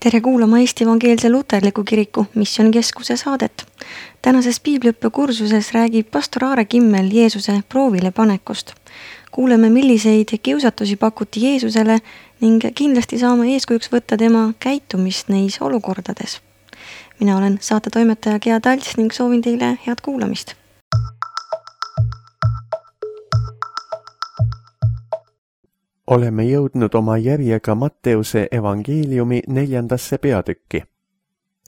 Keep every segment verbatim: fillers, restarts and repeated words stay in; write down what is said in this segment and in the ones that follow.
Tere kuulama Eesti Evangeelse Luterliku Kiriku Missioonikeskuse saadet. Tänases piibliõppe kursuses räägib pastor Aare Kimmel Jeesuse proovile panekust. Kuuleme, milliseid kiusatusi pakuti Jeesusele ning kindlasti saame eeskujuks võtta tema käitumist neis olukordades. Mina olen saate toimetaja Gea Talts ning soovin teile head kuulamist. Oleme jõudnud oma järjega Matteuse evangeeliumi neljandasse peatükki.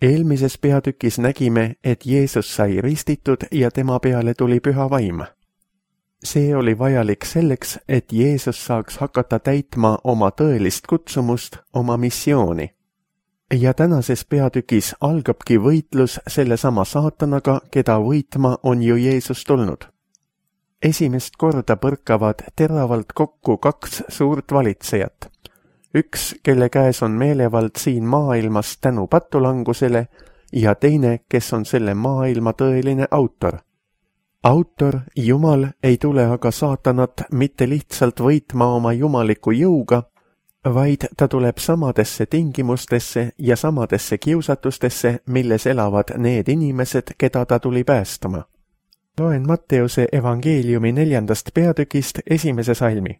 Eelmises peatükis nägime, et Jeesus sai ristitud ja tema peale tuli püha vaim. See oli vajalik selleks, et Jeesus saaks hakata täitma oma tõelist kutsumust, oma missiooni. Ja tänases peatükis algabki võitlus sellesama saatanaga, keda võitma on ju Jeesus tulnud. Esimest korda põrkavad teravalt kokku kaks suurt valitsejat. Üks, kelle käes on meelevald siin maailmas tänu patulangusele ja teine, kes on selle maailma tõeline autor. Autor, Jumal, ei tule aga saatanat mitte lihtsalt võitma oma jumaliku jõuga, vaid ta tuleb samadesse tingimustesse ja samadesse kiusatustesse, milles elavad need inimesed, keda ta tuli päästama. Loen Matteuse evangeeliumi neljandast peatükist esimese salmi.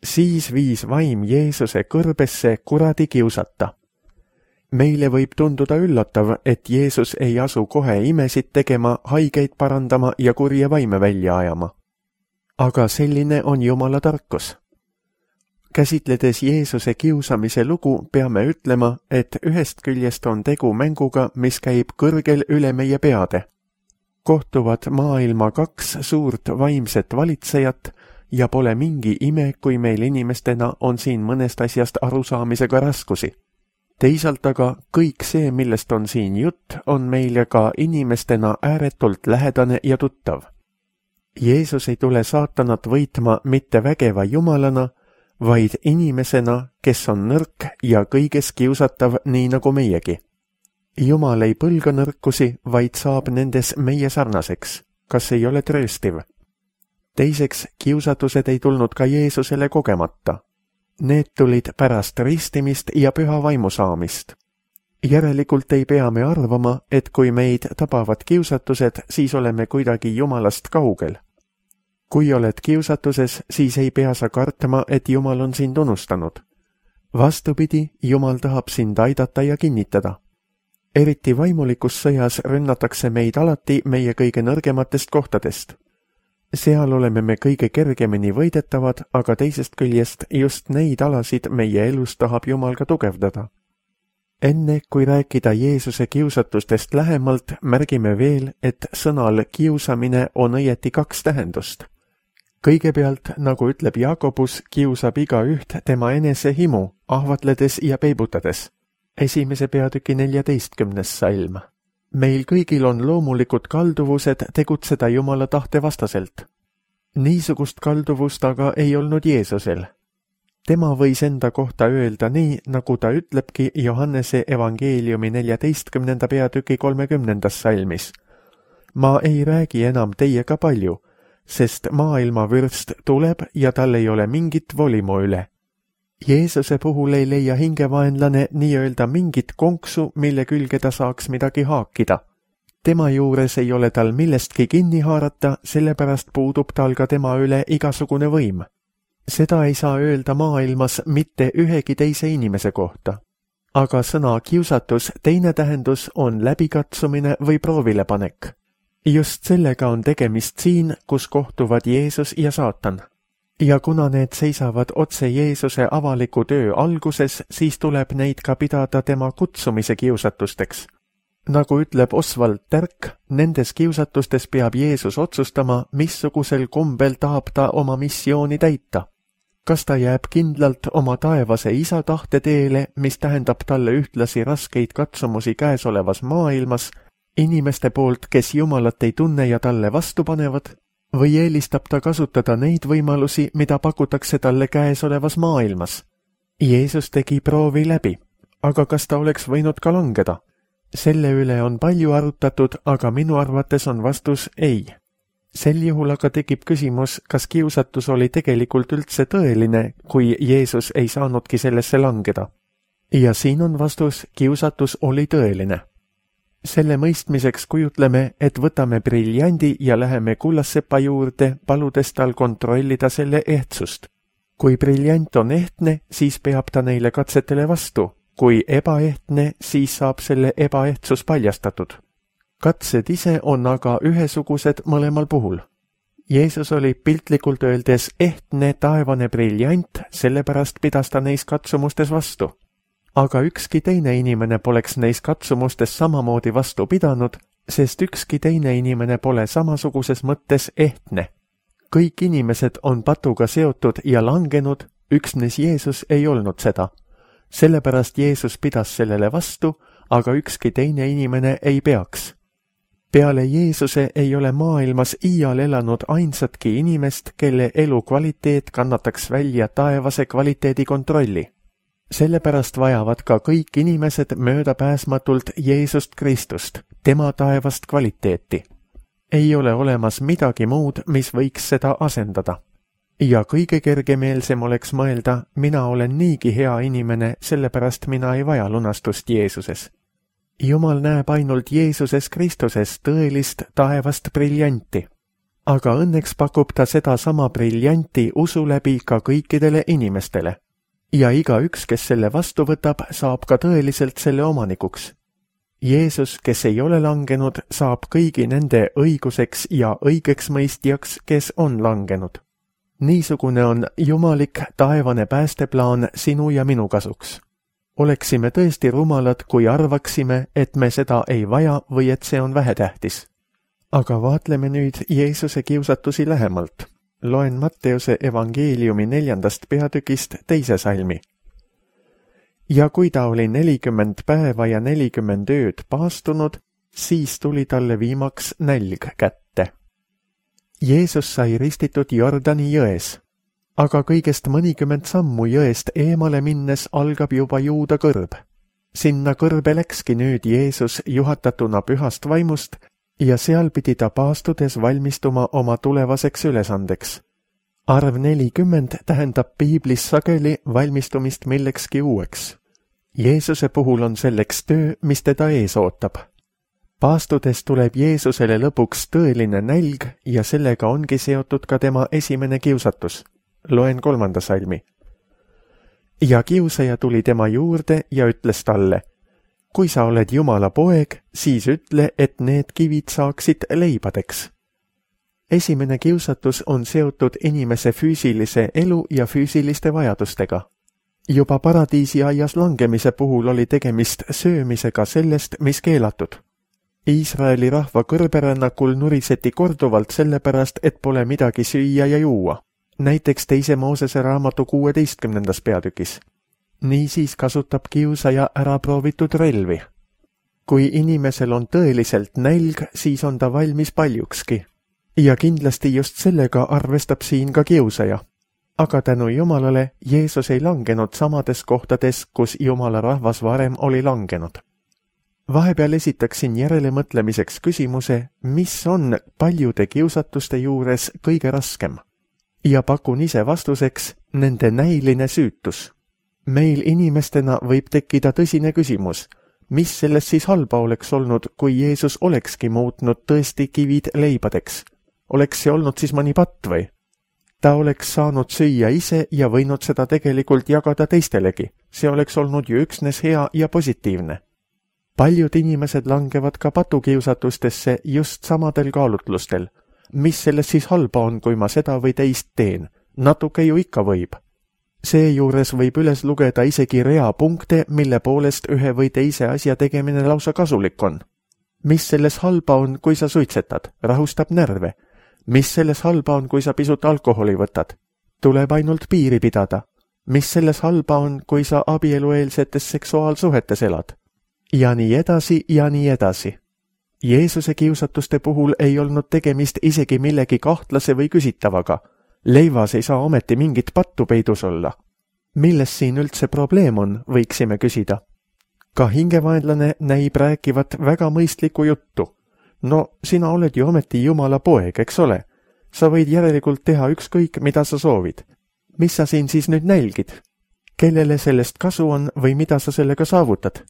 Siis viis vaim Jeesuse kõrbesse kuradi kiusata. Meile võib tunduda üllatav, et Jeesus ei asu kohe imesid tegema, haigeid parandama ja kurje vaime välja ajama. Aga selline on Jumala tarkus. Käsitledes Jeesuse kiusamise lugu, peame ütlema, et ühest küljest on tegu mänguga, mis käib kõrgel üle meie peade. Kohtuvad maailma kaks suurt vaimset valitsejat ja pole mingi ime, kui meil inimestena on siin mõnest asjast arusaamisega raskusi. Teisalt aga kõik see, millest on siin jutt, on meile ka inimestena ääretult lähedane ja tuttav. Jeesus ei tule saatanat võitma mitte vägeva jumalana, vaid inimesena, kes on nõrk ja kõiges kiusatav nii nagu meiegi. Jumal ei põlga nõrkusi, vaid saab nendes meie sarnaseks. Kas ei ole trööstiv? Teiseks, kiusatused ei tulnud ka Jeesusele kogemata. Need tulid pärast ristimist ja püha vaimu saamist. Järelikult ei pea me arvama, et kui meid tabavad kiusatused, siis oleme kuidagi Jumalast kaugel. Kui oled kiusatuses, siis ei pea sa kartma, et Jumal on sind unustanud. Vastupidi, Jumal tahab sind aidata ja kinnitada. Eriti vaimulikus sõjas rünnatakse meid alati meie kõige nõrgematest kohtadest. Seal oleme me kõige kergemini võidetavad, aga teisest küljest just neid alasid meie elus tahab Jumal ka tugevdada. Enne kui rääkida Jeesuse kiusatustest lähemalt, märgime veel, et sõnal kiusamine on õieti kaks tähendust. Kõigepealt, nagu ütleb Jakobus, kiusab iga üht tema enese himu, ahvatledes ja peibutades. Esimese peatüki neljateistkümnes salm. Meil kõigil on loomulikud kalduvused tegutseda Jumala tahte vastaselt. Niisugust kalduvust aga ei olnud Jeesusel. Tema võis enda kohta öelda nii, nagu ta ütlebki Johannese evangeeliumi neljateistkümnenda peatüki kolmekümnendas salmis. Ma ei räägi enam teiega palju, sest maailma vürst tuleb ja tal ei ole mingit volimu üle. Jeesuse puhul ei leia hingevaenlane nii-öelda mingit konksu, mille külge ta saaks midagi haakida. Tema juures ei ole tal millestki kinni haarata, sellepärast puudub tal ka tema üle igasugune võim. Seda ei saa öelda maailmas mitte ühegi teise inimese kohta. Aga sõna kiusatus teine tähendus on läbikatsumine või proovilepanek. Just sellega on tegemist siin, kus kohtuvad Jeesus ja saatan. Ja kuna need seisavad otse Jeesuse avaliku töö alguses, siis tuleb neid ka pidada tema kutsumise kiusatusteks. Nagu ütleb Oswald Tärk, nendes kiusatustes peab Jeesus otsustama, missugusel kombel tahab ta oma missiooni täita. Kas ta jääb kindlalt oma taevase isa tahte teele, mis tähendab talle ühtlasi raskeid katsumusi käesolevas maailmas, inimeste poolt, kes Jumalat ei tunne ja talle vastu panevad, või eelistab ta kasutada neid võimalusi, mida pakutakse talle käesolevas maailmas? Jeesus tegi proovi läbi, aga kas ta oleks võinud ka langeda? Selle üle on palju arutatud, aga minu arvates on vastus ei. Sel juhul aga tekib küsimus, kas kiusatus oli tegelikult üldse tõeline, kui Jeesus ei saanudki sellesse langeda. ja siin on vastus, kiusatus oli tõeline. Selle mõistmiseks kujutleme, et võtame briljandi ja läheme kullassepa juurde, paludes tal kontrollida selle ehtsust. Kui briljant on ehtne, siis peab ta neile katsetele vastu. Kui ebaehtne, siis saab selle ebaehtsus paljastatud. Katsed ise on aga ühesugused mõlemal puhul. Jeesus oli piltlikult öeldes ehtne taevane briljant, sellepärast pidas ta neis katsumustes vastu. Aga ükski teine inimene poleks neis katsumustes samamoodi vastu pidanud, sest ükski teine inimene pole samasuguses mõttes ehtne. Kõik inimesed on patuga seotud ja langenud, üksnes Jeesus ei olnud seda. Sellepärast Jeesus pidas sellele vastu, aga ükski teine inimene ei peaks. Peale Jeesuse ei ole maailmas iial elanud ainsatki inimest, kelle elu kvaliteet kannataks välja taevase kvaliteedi kontrolli. Sellepärast vajavad ka kõik inimesed möödapääsmatult Jeesust Kristust, tema taevast kvaliteeti. Ei ole olemas midagi muud, mis võiks seda asendada. Ja kõige kergemeelsem oleks mõelda, mina olen niigi hea inimene, sellepärast mina ei vaja lunastust Jeesuses. Jumal näeb ainult Jeesuses Kristuses tõelist taevast briljanti. Aga õnneks pakub ta seda sama briljanti usu läbi ka kõikidele inimestele. Ja igaüks, kes selle vastu võtab, saab ka tõeliselt selle omanikuks. Jeesus, kes ei ole langenud, saab kõigi nende õiguseks ja õigeks mõistjaks, kes on langenud. Niisugune on jumalik taevane päästeplaan sinu ja minu kasuks. Oleksime tõesti rumalad, kui arvaksime, et me seda ei vaja või et see on vähetähtis. Aga vaatleme nüüd Jeesuse kiusatusi lähemalt. Loen Matteuse evangeeliumi neljandast peatükist teise salmi. Ja kui ta oli nelikümmend päeva ja nelikümmend ööd paastunud, siis tuli talle viimaks nälg kätte. Jeesus sai ristitud Jordani jões, aga kõigest mõnikümmend sammu jõest eemale minnes algab juba Juuda kõrb. Sinna kõrbe läkski nüüd Jeesus juhatatuna pühast vaimust ja seal pidi ta paastudes valmistuma oma tulevaseks ülesandeks. Arv nelikümmend tähendab piiblis sageli valmistumist millekski uueks. Jeesuse puhul on selleks töö, mis teda ees ootab. Paastudes tuleb Jeesusele lõpuks tõeline nälg ja sellega ongi seotud ka tema esimene kiusatus. Loen kolmanda salmi. Ja kiusaja tuli tema juurde ja ütles talle, kui sa oled Jumala poeg, siis ütle, et need kivid saaksid leibadeks. Esimene kiusatus on seotud inimese füüsilise elu ja füüsiliste vajadustega. Juba paradiisi aias langemise puhul oli tegemist söömisega sellest, mis keelatud. Iisraeli rahva kõrberännakul nuriseti korduvalt sellepärast, et pole midagi süüa ja juua. Näiteks teise Moosese raamatu kuueteistkümnendas peatükis. Niisiis kasutab kiusaja ära proovitud relvi. Kui inimesel on tõeliselt nälg, siis on ta valmis paljukski. Ja kindlasti just sellega arvestab siin ka kiusaja. Aga tänu Jumalale Jeesus ei langenud samades kohtades, kus Jumala rahvas varem oli langenud. Vahepeal esitaksin järelemõtlemiseks küsimuse, mis on paljude kiusatuste juures kõige raskem. Ja pakun ise vastuseks nende näiline süütus. Meil inimestena võib tekkida tõsine küsimus, mis sellest siis halba oleks olnud, kui Jeesus olekski muutnud tõesti kivid leibadeks? Oleks see olnud siis mõni patt või? Ta oleks saanud süüa ise ja võinud seda tegelikult jagada teistelegi. See oleks olnud ju üksnes hea ja positiivne. Paljud inimesed langevad ka patukiusatustesse just samadel kaalutlustel. Mis sellest siis halba on, kui ma seda või teist teen? Natuke ju ikka võib. Seejuures võib üles lugeda isegi rea punkte, mille poolest ühe või teise asja tegemine lausa kasulik on. Mis selles halba on, kui sa suitsetad? Rahustab närve. Mis selles halba on, kui sa pisut alkoholi võtad? Tuleb ainult piiri pidada. Mis selles halba on, kui sa abielueelsetes seksuaalsuhetes elad? Ja nii edasi ja nii edasi. Jeesuse kiusatuste puhul ei olnud tegemist isegi millegi kahtlase või küsitavaga. Leivas ei saa ometi mingit pattu peidus olla. Milles siin üldse probleem on, võiksime küsida. Ka hingevaenlane näib rääkivat väga mõistlikku juttu. No, sina oled ju ometi Jumala poeg, eks ole? Sa võid järelikult teha ükskõik, mida sa soovid. Mis sa siin siis nüüd nälgid? kellele sellest kasu on või mida sa sellega saavutad.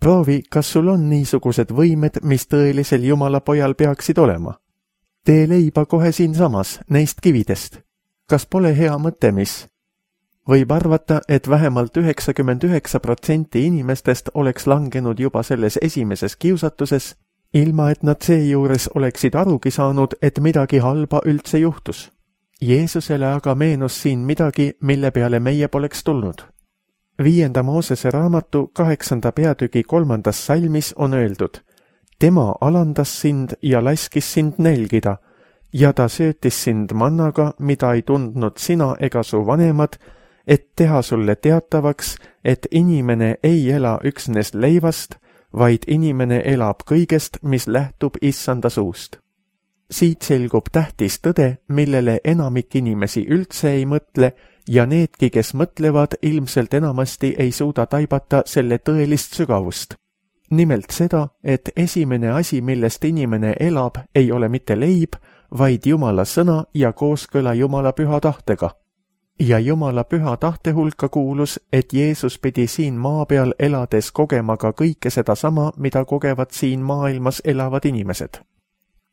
Proovi, kas sul on niisugused võimed, mis tõelisel Jumala pojal peaksid olema. Tee leiba kohe siinsamas, neist kividest. Kas pole hea mõte, mis? Võib arvata, et vähemalt üheksakümmend üheksa protsenti inimestest oleks langenud juba selles esimeses kiusatuses, ilma et nad seejuures oleksid arugi saanud, et midagi halba üldse juhtus. Jeesusele aga meenus siin midagi, mille peale meie poleks tulnud. Viienda Moosese raamatu kaheksanda peatüki kolmandas salmis on öeldud: tema alandas sind ja laskis sind nälgida, ja ta söötis sind mannaga, mida ei tundnud sina ega su vanemad, et teha sulle teatavaks, et inimene ei ela üksnes leivast, vaid inimene elab kõigest, mis lähtub issanda suust. Siit selgub tähtis tõde, millele enamik inimesi üldse ei mõtle, ja needki, kes mõtlevad, ilmselt enamasti ei suuda taibata selle tõelist sügavust. Nimelt seda, et esimene asi, millest inimene elab, ei ole mitte leib, vaid Jumala sõna ja kooskõla Jumala püha tahtega. Ja Jumala püha tahte hulka kuulus, et Jeesus pidi siin maa peal elades kogema ka kõike seda sama, mida kogevad siin maailmas elavad inimesed.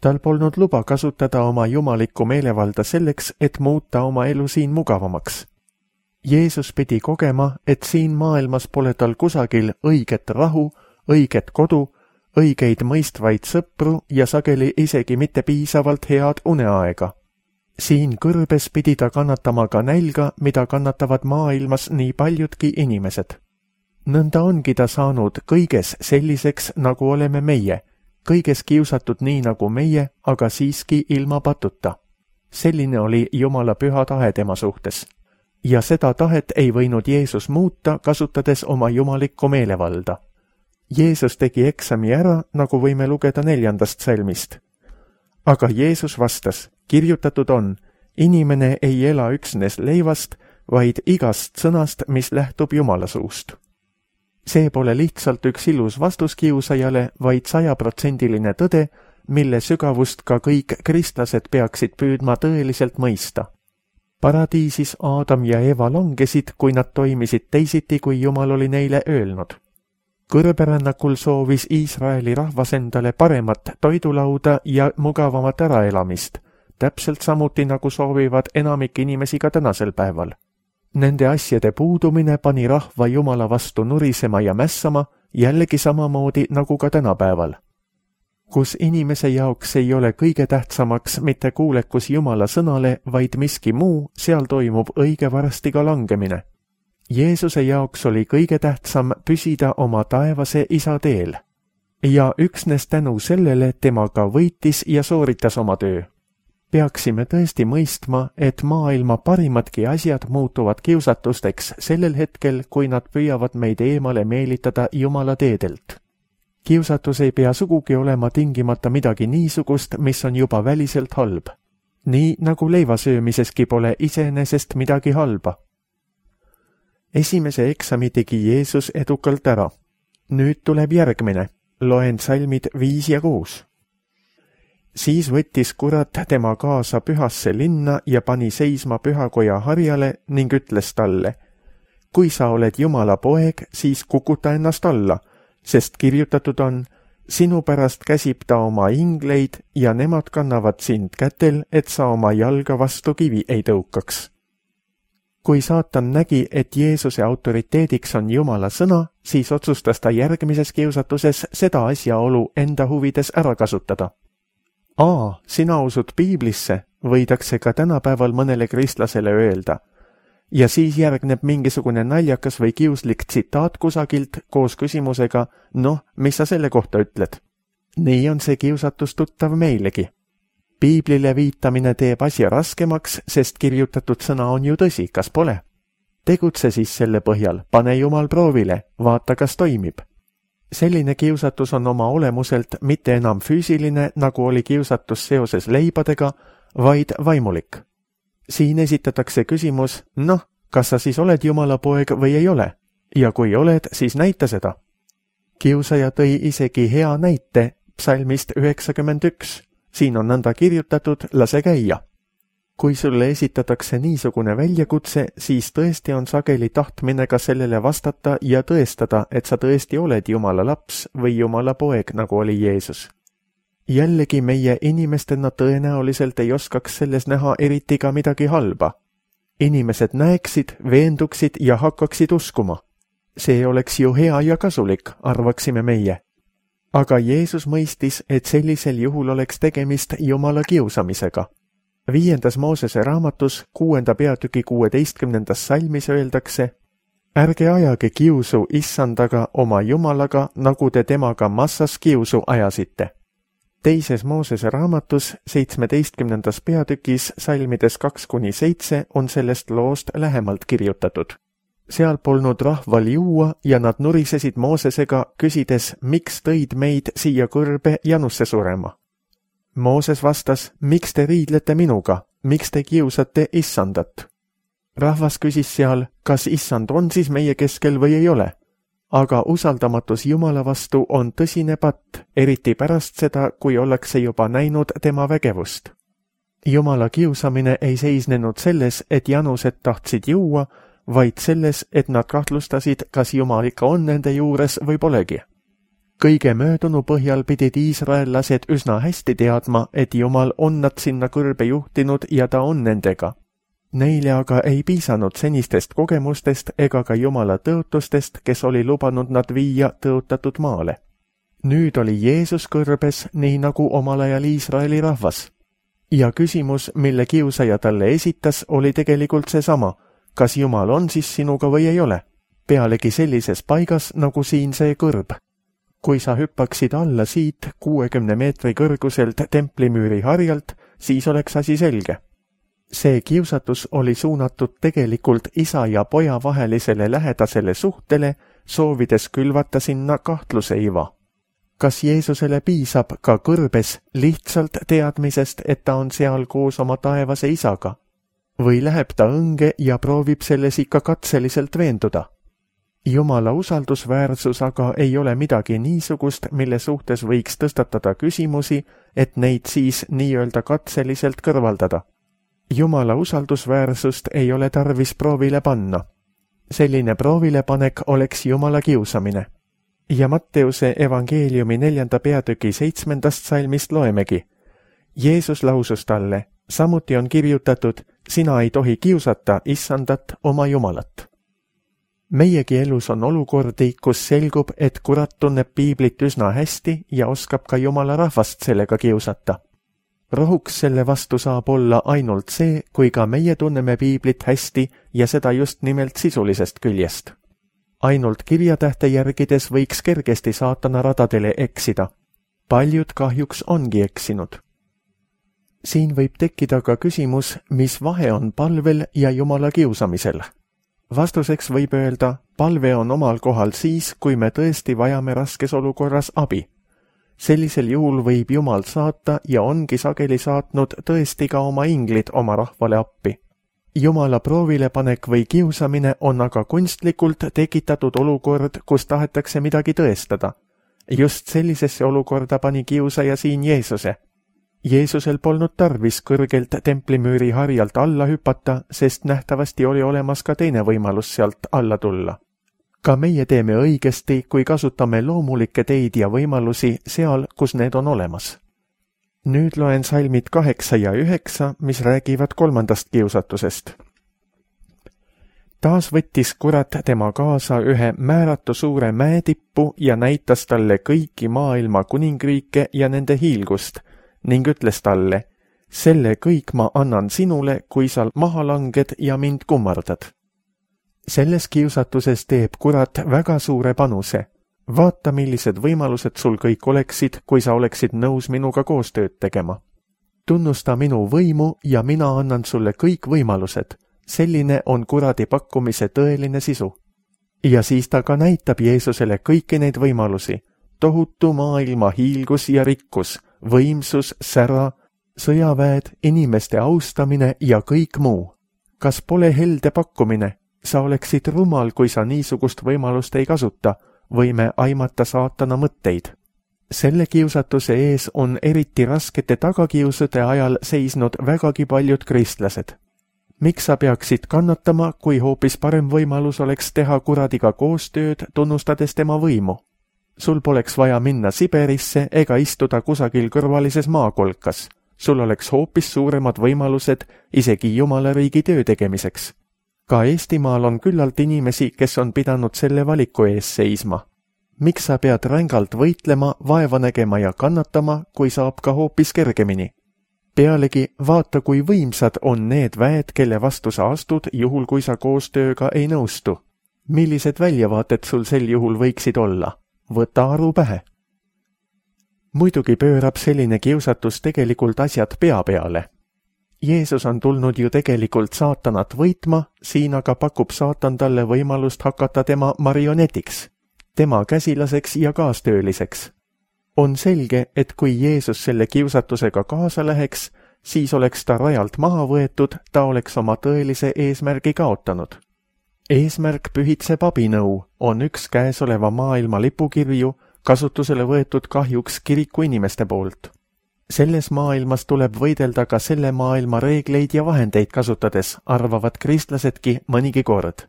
Tal polnud luba kasutada oma jumalikku meelevalda selleks, et muuta oma elu siin mugavamaks. Jeesus pidi kogema, et siin maailmas pole tal kusagil õiget rahu, õiget kodu, õigeid mõistvaid sõpru ja sageli isegi mitte piisavalt head uneaega. Siin kõrbes pidi ta kannatama ka nälga, mida kannatavad maailmas nii paljudki inimesed. Nõnda ongi ta saanud kõiges selliseks, nagu oleme meie, kõiges kiusatud nii nagu meie, aga siiski ilma patuta. Selline oli Jumala püha tahe tema suhtes. Ja seda tahet ei võinud Jeesus muuta, kasutades oma jumalikku meelevalda. Jeesus tegi eksami ära, nagu võime lugeda neljandast salmist. Aga Jeesus vastas: kirjutatud on, inimene ei ela üksnes leivast, vaid igast sõnast, mis lähtub Jumala suust. See pole lihtsalt üks ilus vastus kiusajale, vaid sajaprotsendiline tõde, mille sügavust ka kõik kristlased peaksid püüdma tõeliselt mõista. Paradiisis Aadam ja Eva langesid, kui nad toimisid teisiti, kui Jumal oli neile öelnud. Kõrberännakul soovis Iisraeli rahvas endale paremat toidulauda ja mugavamat äraelamist, täpselt samuti nagu soovivad enamik inimesi ka tänasel päeval. Nende asjade puudumine pani rahva Jumala vastu nurisema ja mässama, jällegi samamoodi nagu ka tänapäeval. Kus inimese jaoks ei ole kõige tähtsamaks mitte kuulekus Jumala sõnale, vaid miski muu, seal toimub õige varsti ka langemine. Jeesuse jaoks oli kõige tähtsam püsida oma taevase isa teel. Ja üksnes tänu sellele tema ka võitis ja sooritas oma töö. Peaksime tõesti mõistma, et maailma parimadki asjad muutuvad kiusatusteks sellel hetkel, kui nad püüavad meid eemale meelitada Jumala teedelt. Kiusatus ei pea sugugi olema tingimata midagi niisugust, mis on juba väliselt halb. Nii nagu leivasöömiseski pole iseenesest midagi halba. Esimese eksami tegi Jeesus edukalt ära. Nüüd tuleb järgmine. Loen salmid viis ja kuus. Siis võttis kurat tema kaasa pühasse linna ja pani seisma pühakoja harjale ning ütles talle: kui sa oled Jumala poeg, siis kukuta ennast alla, sest kirjutatud on: sinu pärast käsib ta oma ingleid ja nemad kannavad sind kätel, et sa oma jalga vastu kivi ei tõukaks. Kui saatan nägi, et Jeesuse autoriteediks on Jumala sõna, siis otsustas ta järgmises kiusatuses seda asjaolu enda huvides ära kasutada. Aa, sina usud Piiblisse, võidakse ka tänapäeval mõnele kristlasele öelda. Ja siis järgneb mingisugune naljakas või kiuslik tsitaat kusagilt koos küsimusega: noh, mis sa selle kohta ütled? Nii on see kiusatus tuttav meilegi. Piiblile viitamine teeb asja raskemaks, sest kirjutatud sõna on ju tõsi, kas pole? Tegutse siis selle põhjal, pane Jumal proovile, vaata, kas toimib. Selline kiusatus on oma olemuselt mitte enam füüsiline, nagu oli kiusatus seoses leibadega, vaid vaimulik. Siin esitatakse küsimus: noh, kas sa siis oled Jumala poeg või ei ole? Ja kui oled, siis näita seda. Kiusaja tõi isegi hea näite psalmist üheksakümmend üks. Siin on nõnda kirjutatud: lase käia. kui sulle esitatakse niisugune väljakutse, siis tõesti on sageli tahtmine ka sellele vastata ja tõestada, et sa tõesti oled Jumala laps või Jumala poeg, nagu oli Jeesus. Jällegi meie inimestena tõenäoliselt ei oskaks selles näha eriti ka midagi halba. Inimesed näeksid, veenduksid ja hakkaksid uskuma. See oleks ju hea ja kasulik, arvaksime meie. Aga Jeesus mõistis, et sellisel juhul oleks tegemist Jumala kiusamisega. Viiendas Moosese raamatus kuuenda peatüki kuueteistkümnendas salmis öeldakse: ärge ajage kiusu issandaga oma Jumalaga, nagu te temaga massas kiusu ajasite. Teises Moosese raamatus seitsmeteistkümnendas peatükis salmides kaks kuni seitse on sellest loost lähemalt kirjutatud. Seal polnud rahval juua ja nad nurisesid Moosesega, küsides, miks tõid meid siia kõrbe janusse surema. Mooses vastas, miks te riidlete minuga, miks te kiusate issandat? Rahvas küsis seal, kas issand on siis meie keskel või ei ole? Aga usaldamatus Jumala vastu on tõsine patt, eriti pärast seda, kui ollakse juba näinud tema vägevust. Jumala kiusamine ei seisnenud selles, et janused tahtsid juua, vaid selles, et nad kahtlustasid, kas Jumal ikka on nende juures või polegi. Kõige möödunu põhjal pidid iisraellased üsna hästi teadma, et Jumal on nad sinna kõrbe juhtinud ja ta on nendega. Neile aga ei piisanud senistest kogemustest ega ka Jumala tõotustest, kes oli lubanud nad viia tõotatud maale. Nüüd oli Jeesus kõrbes, nii nagu omal ajal Iisraeli rahvas. Ja küsimus, mille kiusaja talle esitas, oli tegelikult seesama, kas Jumal on siis sinuga või ei ole, pealegi sellises paigas nagu siin see kõrb. Kui sa hüppaksid alla siit kuuekümne meetri kõrguselt templimüüri harjalt, siis oleks asi selge. See kiusatus oli suunatud tegelikult isa ja poja vahelisele lähedasele suhtele, soovides külvata sinna kahtluseiva. Kas Jeesusele piisab ka kõrbes lihtsalt teadmisest, et ta on seal koos oma taevase isaga? Või läheb ta õnge ja proovib selles ikka katseliselt veenduda? Jumala usaldusväärsus aga ei ole midagi niisugust, mille suhtes võiks tõstatada küsimusi, et neid siis nii-öelda katseliselt kõrvaldada. Jumala usaldusväärsust ei ole tarvis proovile panna. Selline proovilepanek oleks Jumala kiusamine. Ja Matteuse evangeeliumi neljanda peatüki seitsmendast salmist loemegi. Jeesus lausus talle, samuti on kirjutatud, sina ei tohi kiusata issandat oma Jumalat. Meiegi elus on olukordi, kus selgub, et kurat tunneb piiblit üsna hästi ja oskab ka Jumala rahvast sellega kiusata. Rohuks selle vastu saab olla ainult see, kui ka meie tunneme piiblit hästi ja seda just nimelt sisulisest küljest. Ainult kirjatähte järgides võiks kergesti saatana radadele eksida. Paljud kahjuks ongi eksinud. Siin võib tekkida ka küsimus, mis vahe on palvel ja Jumala kiusamisel. Vastuseks võib öelda, palve on omal kohal siis, kui me tõesti vajame raskes olukorras abi. Sellisel juhul võib Jumal saata ja ongi sageli saatnud tõesti ka oma inglid oma rahvale appi. Jumala proovilepanek või kiusamine on aga kunstlikult tekitatud olukord, kus tahetakse midagi tõestada. Just sellisesse olukorda pani kiusaja siin Jeesuse. Jeesusel polnud tarvis kõrgelt templimüüri harjalt alla hüpata, sest nähtavasti oli olemas ka teine võimalus sealt alla tulla. Ka meie teeme õigesti, kui kasutame loomulikke teid ja võimalusi seal, kus need on olemas. Nüüd loen salmid kaheksa ja üheksa, mis räägivad kolmandast kiusatusest. Taas võttis kurat tema kaasa ühe määratu suure mäetippu ja näitas talle kõiki maailma kuningriike ja nende hiilgust ning ütles talle, selle kõik ma annan sinule, kui sa maha langed ja mind kummardad. Selles kiusatuses teeb kurat väga suure panuse. Vaata, millised võimalused sul kõik oleksid, kui sa oleksid nõus minuga koostööd tegema. Tunnusta minu võimu ja mina annan sulle kõik võimalused. Selline on kuradi pakkumise tõeline sisu. Ja siis ta ka näitab Jeesusele kõiki neid võimalusi. Tohutu maailma hiilgus ja rikkus, võimsus, sära, sõjaväed, inimeste austamine ja kõik muu. Kas pole helde pakkumine? Sa oleksid rumal, kui sa niisugust võimalust ei kasuta, võime aimata saatana mõtteid. selle kiusatuse ees on eriti raskete tagakiusude ajal seisnud vägagi paljud kristlased. Miks sa peaksid kannatama, kui hoopis parem võimalus oleks teha kuradiga koostööd, tunnustades tema võimu? Sul poleks vaja minna Siberisse ega istuda kusagil kõrvalises maakolkas. Sul oleks hoopis suuremad võimalused isegi Jumala riigi töö tegemiseks. Ka Eestimaal on küllalt inimesi, kes on pidanud selle valiku ees seisma. Miks sa pead rängalt võitlema, vaeva nägema ja kannatama, kui saab ka hoopis kergemini? Pealegi vaata, kui võimsad on need väed, kelle vastu sa astud, juhul kui sa koostööga ei nõustu. Millised väljavaated sul sel juhul võiksid olla? Võta aru pähe. Muidugi pöörab selline kiusatus tegelikult asjad pea peale. Jeesus on tulnud ju tegelikult saatanat võitma, siin aga pakub saatan talle võimalust hakata tema marionetiks, tema käsilaseks ja kaastööliseks. On selge, et kui Jeesus selle kiusatusega kaasa läheks, siis oleks ta rajalt maha võetud, ta oleks oma tõelise eesmärgi kaotanud. Eesmärk pühitseb abinõu on üks käesoleva maailma lipukirju, kasutusele võetud kahjuks kiriku inimeste poolt. Selles maailmas tuleb võidelda ka selle maailma reegleid ja vahendeid kasutades, arvavad kristlasedki mõnigi kord.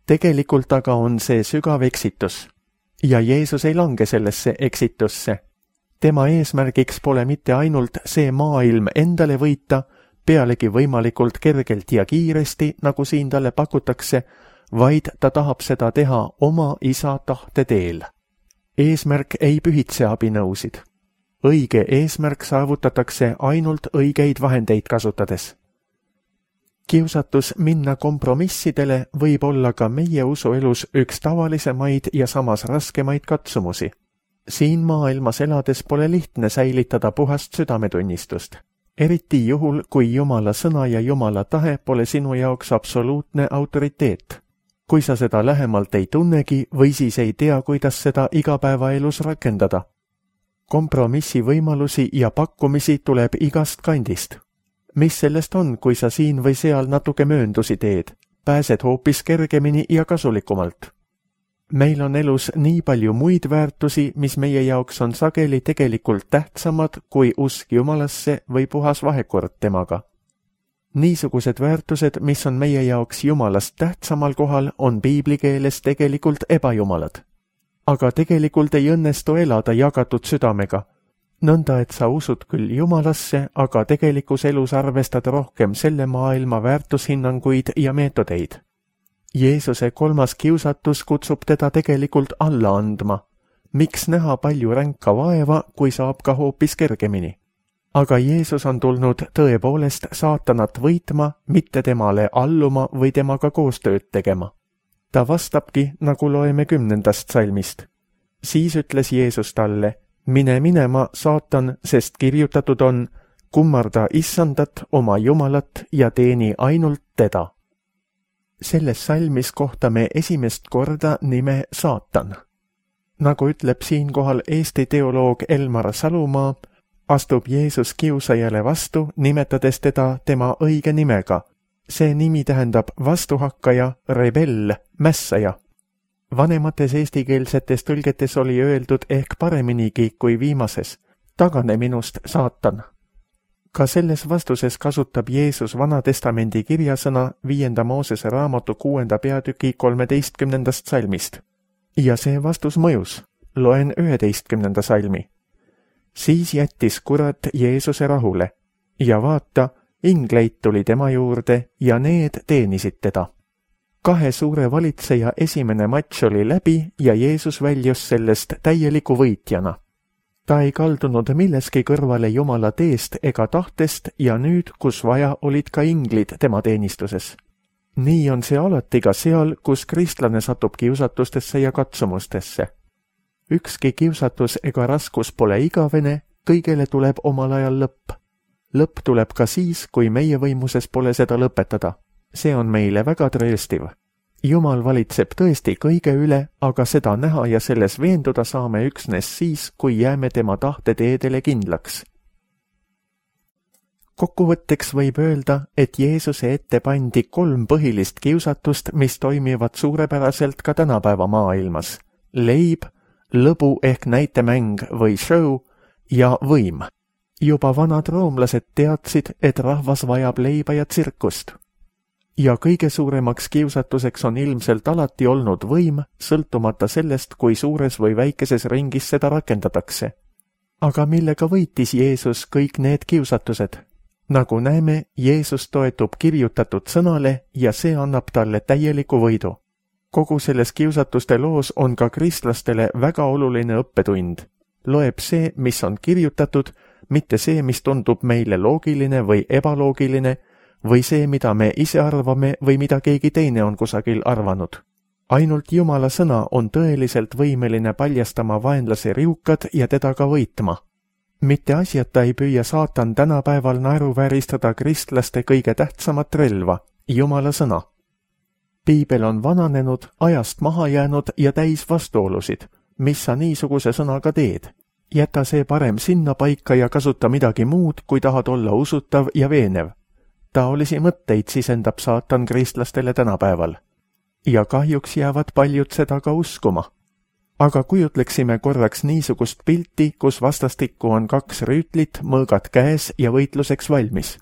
Tegelikult aga on see sügav eksitus. Ja Jeesus ei lange sellesse eksitusse. Tema eesmärgiks pole mitte ainult see maailm endale võita, pealegi võimalikult kergelt ja kiiresti, nagu siin talle pakutakse, vaid ta tahab seda teha oma isa tahte teel. Eesmärk ei pühitse abinõusid. Õige eesmärk saavutatakse ainult õigeid vahendeid kasutades. Kiusatus minna kompromissidele võib olla ka meie usuelus üks tavalisemaid ja samas raskemaid katsumusi. Siin maailmas elades pole lihtne säilitada puhast südametunnistust. Eriti juhul, kui Jumala sõna ja Jumala tahe pole sinu jaoks absoluutne autoriteet. Kui sa seda lähemalt ei tunnegi või siis ei tea, kuidas seda igapäevaelus rakendada. Kompromissi võimalusi ja pakkumisi tuleb igast kandist. Mis sellest on, kui sa siin või seal natuke mööndusi teed? Pääsed hoopis kergemini ja kasulikumalt. Meil on elus nii palju muid väärtusi, mis meie jaoks on sageli tegelikult tähtsamad kui usk Jumalasse või puhas vahekord temaga. Niisugused väärtused, mis on meie jaoks Jumalast tähtsamal kohal, on piiblikeeles tegelikult ebajumalad. Aga tegelikult ei õnnestu elada jagatud südamega. Nõnda, et sa usud küll Jumalasse, aga tegelikus elus arvestad rohkem selle maailma väärtushinnanguid ja meetodeid. Jeesuse kolmas kiusatus kutsub teda tegelikult alla andma. Miks näha palju ränka vaeva, kui saab ka hoopis kergemini? Aga Jeesus on tulnud tõepoolest saatanat võitma, mitte temale alluma või temaga koostööd tegema. Ta vastabki, nagu loeme kümnendast salmist. Siis ütles Jeesus talle, mine minema, saatan, sest kirjutatud on, kummarda issandat, oma Jumalat ja teeni ainult teda. Selles salmis kohtame esimest korda nime saatan. Nagu ütleb siinkohal Eesti teoloog Elmar Salumaa, astub Jeesus kiusajale vastu, nimetades teda tema õige nimega. See nimi tähendab vastuhakkaja, rebell, mässaja. Vanemates eestikeelsetes tõlgetes oli öeldud ehk pareminigi kui viimases. Tagane minust, saatan. Ka selles vastuses kasutab Jeesus Vanatestamendi kirjasõna viienda Moosese raamatu kuuenda peatüki kolmeteistkümnendast salmist. Ja see vastus mõjus. Loen üheteistkümnenda salmi. Siis jättis kurat Jeesuse rahule ja vaata, ingleid tuli tema juurde ja need teenisid teda. Kahe suure valitseja esimene matš oli läbi ja Jeesus väljus sellest täieliku võitjana. Ta ei kaldunud milleski kõrvale Jumala teest ega tahtest ja nüüd, kus vaja, olid ka inglid tema teenistuses. Nii on see alati ka seal, kus kristlane satub kiusatustesse ja katsumustesse. Ükski kiusatus ega raskus pole igavene, kõigele tuleb omal ajal lõpp. Lõpp tuleb ka siis, kui meie võimuses pole seda lõpetada. See on meile väga trööstiv. Jumal valitseb tõesti kõige üle, aga seda näha ja selles veenduda saame üksnes siis, kui jääme tema tahteteedele kindlaks. Kokkuvõtteks võib öelda, et Jeesuse ette pandi kolm põhilist kiusatust, mis toimivad suurepäraselt ka tänapäeva maailmas. Leib, lõbu ehk näitemäng või show ja võim. Juba vanad roomlased teadsid, et rahvas vajab leiba ja tsirkust. Ja kõige suuremaks kiusatuseks on ilmselt alati olnud võim, sõltumata sellest, kui suures või väikeses ringis seda rakendatakse. Aga millega võitis Jeesus kõik need kiusatused? Nagu näeme, Jeesus toetub kirjutatud sõnale ja see annab talle täieliku võidu. Kogu selles kiusatuste loos on ka kristlastele väga oluline õppetund. Loeb see, mis on kirjutatud, mitte see, mis tundub meile loogiline või ebaloogiline, või see, mida me ise arvame või mida keegi teine on kusagil arvanud. Ainult Jumala sõna on tõeliselt võimeline paljastama vaenlase riukad ja teda ka võitma. Mitte asjata ei püüa saatan tänapäeval naeruvääristada kristlaste kõige tähtsamat relva, Jumala sõna. Piibel on vananenud, ajast maha jäänud ja täis vastuolusid. Mis sa niisuguse sõnaga teed? Jäta see parem sinna paika ja kasuta midagi muud, kui tahad olla usutav ja veenev. Taolisi mõtteid sisendab saatan kristlastele tänapäeval. Ja kahjuks jäävad paljud seda ka uskuma. Aga kujutleksime korraks niisugust pilti, kus vastastikku on kaks rüütlit, mõõgad käes ja võitluseks valmis.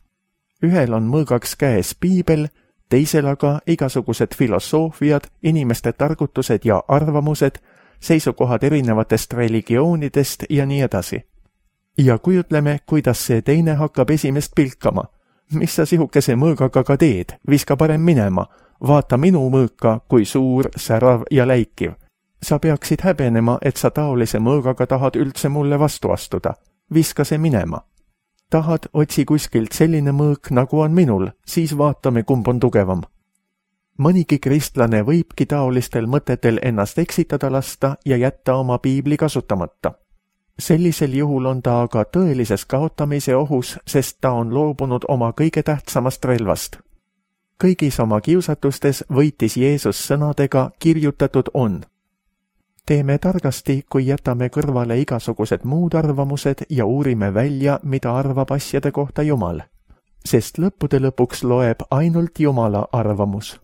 Ühel on mõõgaks käes piibel, teisel aga igasugused filosoofiad, inimeste targutused ja arvamused, seisukohad erinevatest religioonidest ja nii edasi. Ja kujutleme, kuidas see teine hakkab esimest pilkama. Mis sa sihukese mõõgaga ka teed? Viska parem minema. Vaata minu mõõka, kui suur, särav ja läikiv. Sa peaksid häbenema, et sa taolise mõõgaga tahad üldse mulle vastu astuda. Viska see minema. Tahad, otsi kuskilt selline mõõk, nagu on minul, siis vaatame, kumb on tugevam. Mõnigi kristlane võibki taolistel mõtetel ennast eksitada lasta ja jätta oma piibli kasutamata. Sellisel juhul on ta aga tõelises kaotamise ohus, sest ta on loobunud oma kõige tähtsamast relvast. Kõigis oma kiusatustes võitis Jeesus sõnadega kirjutatud on. Teeme targasti, kui jätame kõrvale igasugused muud arvamused ja uurime välja, mida arvab asjade kohta Jumal. Sest lõppude lõpuks loeb ainult Jumala arvamus.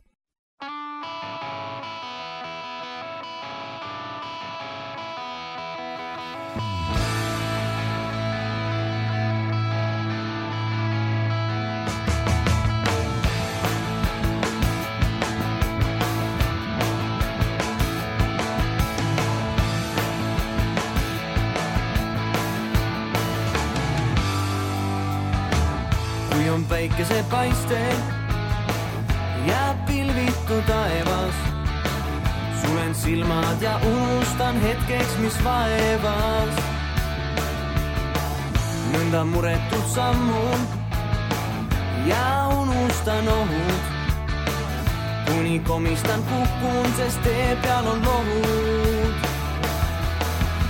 Kui on päikese paiste ja pilvitu taevas, sulen silmad ja unustan hetkeks, mis vaevas. Nõnda muretult sammun ja unustan ohud, kuni komistan kukun, sest tee peal on lohud.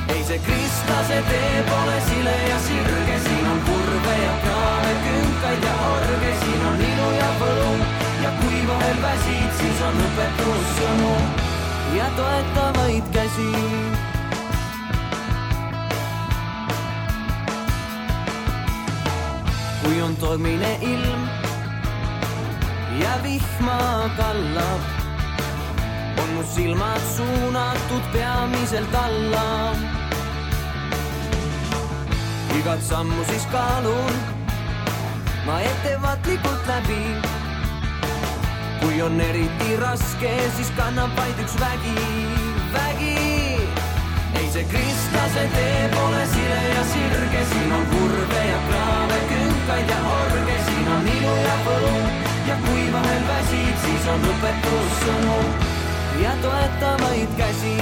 Ei see kristlase tee pole sile ja sirge, siin on kurve ja kraave, künkaid ja orge, siin on ilu ja võlu ja kui vahel väsid, siis on õpetussõnu ja toetavaid käsi. Kui on tormine ilm ja vihma kallab, on mu silmad suunatud peamiselt alla. Igat sammu siis kaalun ma ettevaatlikult läbi. Kui on eriti raske, siis kannab vaid üks vägi, vägi. Ei see kristlase tee pole sile ja sirge, siin on kurve ja kraave, künkaid ja orge, siin on ilu ja võlu ja kui vahel väsid, siis on õpetussõnu ja toetavaid käsi.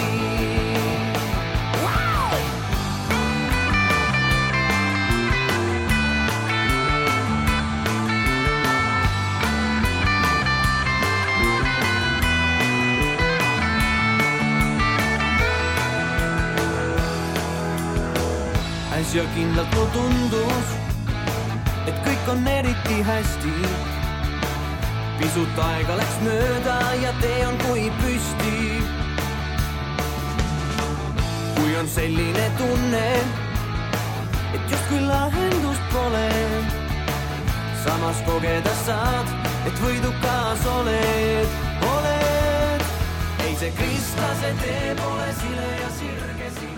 Äsja kindlalt mu tundus, et kõik on eriti hästi. Pisut aega läks mööda ja tee on kui püsti. Kui on selline tunne, et justkui lahendust pole, samas kogeda saad, et võidukas oled, oled. Ei ei, see kristlase tee pole sile ja sirge siin.